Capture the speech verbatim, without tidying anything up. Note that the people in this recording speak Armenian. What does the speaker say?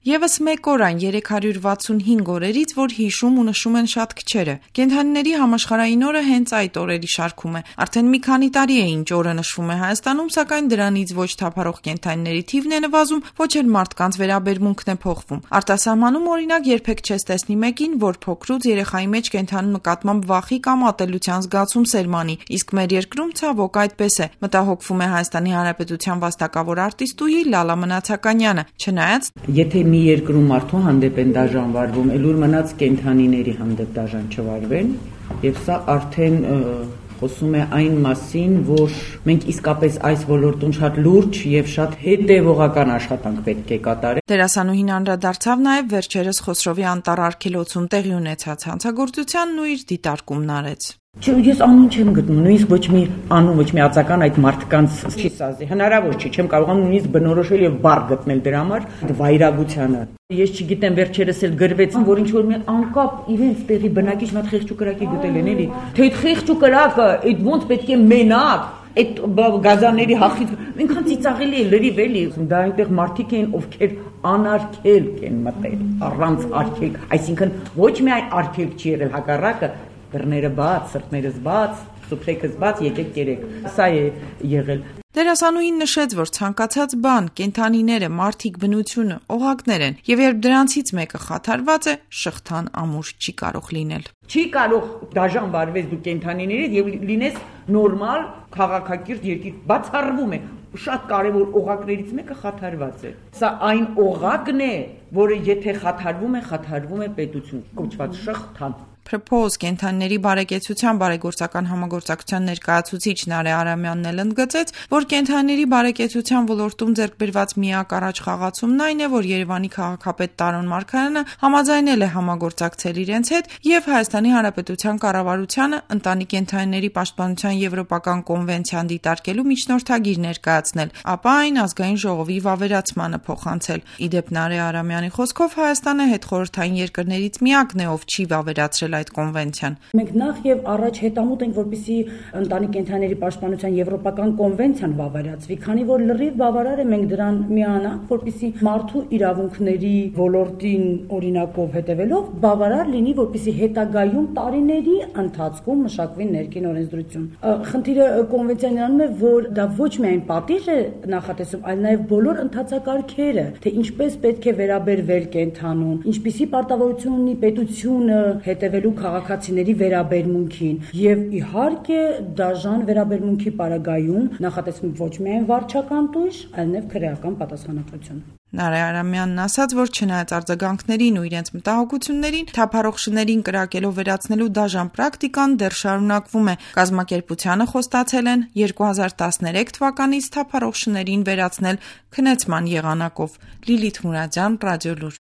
Եվս մեկ օր այն երեք հարյուր վաթսունհինգ օրերից, որ հիշում ու նշում են շատ քչերը։ Կենդանիների համաշխարհային օրը հենց այդ օրերի շարքում է։ Արդեն մի քանի տարի է ինչ օրը նշվում է Հայաստանում, սակայն դրանից ոչ թափառող կենդանիների թիվն է նվազում, ոչ էլ մարդկանց վերաբերմունքն է փոխվում։ Արտասահմանում օրինակ երբեք չես տեսնի մեկին, որ փոքրուց երեխայի մեջ կենդանու նկատմամբ վախի կամ ատելության զգացում սերմանի, իսկ մեր երկրում ցավոք այդպես է, մտահոգվում է Հայաստանի Հանրապետության վաստակավոր արտիստուհի Լալա Մնացականյանը, չնայած եթե մի երկրում մարդու հանդեպ են դաժան վարվում, ելուր մնաց կենդանիների հանդեպ դաժան չվարվեն, եւ սա արդեն խոսում է այն մասին, որ մենք իսկապես այս ոլորտում շատ լուրջ եւ շատ հետեւողական աշխատանք պետք է կատարենք։ Դերասանուհին անդրադարձավ նաեւ վերջերս Խոսրովի անտառ արգելոցում տեղի ունեցած հանցագործությանն ու իր դիտարկումն արեց։ Ես անուն չեմ գտնում, նույնիսկ ոչ մի անուն, ոչ մի ածական այդ մարդկանց չի սազի, հնարավոր չի, չեմ կարողանում նույնիսկ բնորոշել եւ բառ գտնել դրա համար վայրագությանը։ Ես չգիտեմ, վերջերս էլ գրվեցին, որ ինչ որ մի անկապ իրենց տեղի բնակիչ մի հատ խեղճ ու կրակի գտել են էլի, թե այդ խեղճ ու կրակը, այդ ոնց պետք է մենակ այդ գազանների հախից ինքան ծիծաղելի է լրիվ էլի, դա այնտեղ մարդիկ են, ովքեր անարգելք են մտել, առանց արգելք, այսինքն ոչ միայն արգելք չի եղել, հակառակը դռները բաց, սրտներս բաց, սուփրեքս բաց, եկեք կերեք։ Սա է եղել։ Դերասանուհին նշեց, որ ցանկացած բան, կենդանիները, մարդիկ, բնությունը, օղակներ են, եւ երբ դրանցից մեկը խաթարված է, շղթան ամուր չի կարող լինել։ Չի կարող դաժան վարվես դու կենդանիներից եւ լինես նորմալ քաղաքակիրթ երկիր, բացառվում է։ Շատ կարևոր օղակներից մեկը խաթարված է։ Սա այն օղակն է, որը եթե խաթարվում է, խաթարվում է պետություն, կոչված շղթան։ Propose կենդանիների բարեկեցության բարեգործական համագործակցության ներկայացուցիչ Նարե Արամյանն էլ ընդգծեց, որ կենդանիների բարեկեցության ոլորտում ձեռք բերված միակ առաջխաղացումն այն է, որ Երևանի քաղաքապետ Տարոն Մարգարյանը համաձայնել է համագործակցել իրենց հետ եւ Հայաստանի Հանրապետության կառավարությանը ընտանի կենդանիների պաշտպանության եվրոպական կոնվենցիան դիտարկելու միջնորդագիր ներկայացնել, ապա այն ազգային ժողովի վավերացմանը փոխանցել։ Իդեպ Նարե Արամյանի խոսքով Հայաստանը հետխորհրդային երկրներից միակն է, ով չի վավերացրել այդ կոնվենցիան։ Մենք նախ եւ առաջ հետամուտ ենք, որպեսզի ընտանի կենդանիների պաշտպանության եվրոպական կոնվենցիան վավերացվի, քանի որ լրիվ բավարար է մենք դրան միանանք, որպեսզի մարդու իրավունքների ոլորտին օրինակով հետևելով բավարար լինի, որպեսզի հետագայում տարիների ընթացքում մշակվի ներքին օրենսդրություն։ Խնդիրը կոնվենցիան նրանում է, որ դա ոչ միայն պատիժ է նախատեսում, այլ նաեւ բոլոր ընթացակարգերը, թե ինչպես պետք է վերաբերվել կենդանուն, ինչպիսի պարտավորություն ունի պետությունը հետևել քաղաքացիների վերաբերմունքին եւ իհարկե դաժան վերաբերմունքի պարագայում նախատեսվում ոչ միայն վարչական տույժ, այլև քրեական պատասխանատվություն։ Նարե Արամյանն ասաց, որ չնայած արձագանքներին ու իրենց մտահոգություններին, թափառող շներին կրակելով վերացնելու դաժան պրակտիկան դեռ շարունակվում է։ Կազմակերպությանը խոստացել են երկու հազար տասներեք թվականից թափառող շներին վերացնել քնեցման եղանակով։ Լիլիթ Մուրադյան, Ռադիոլուր։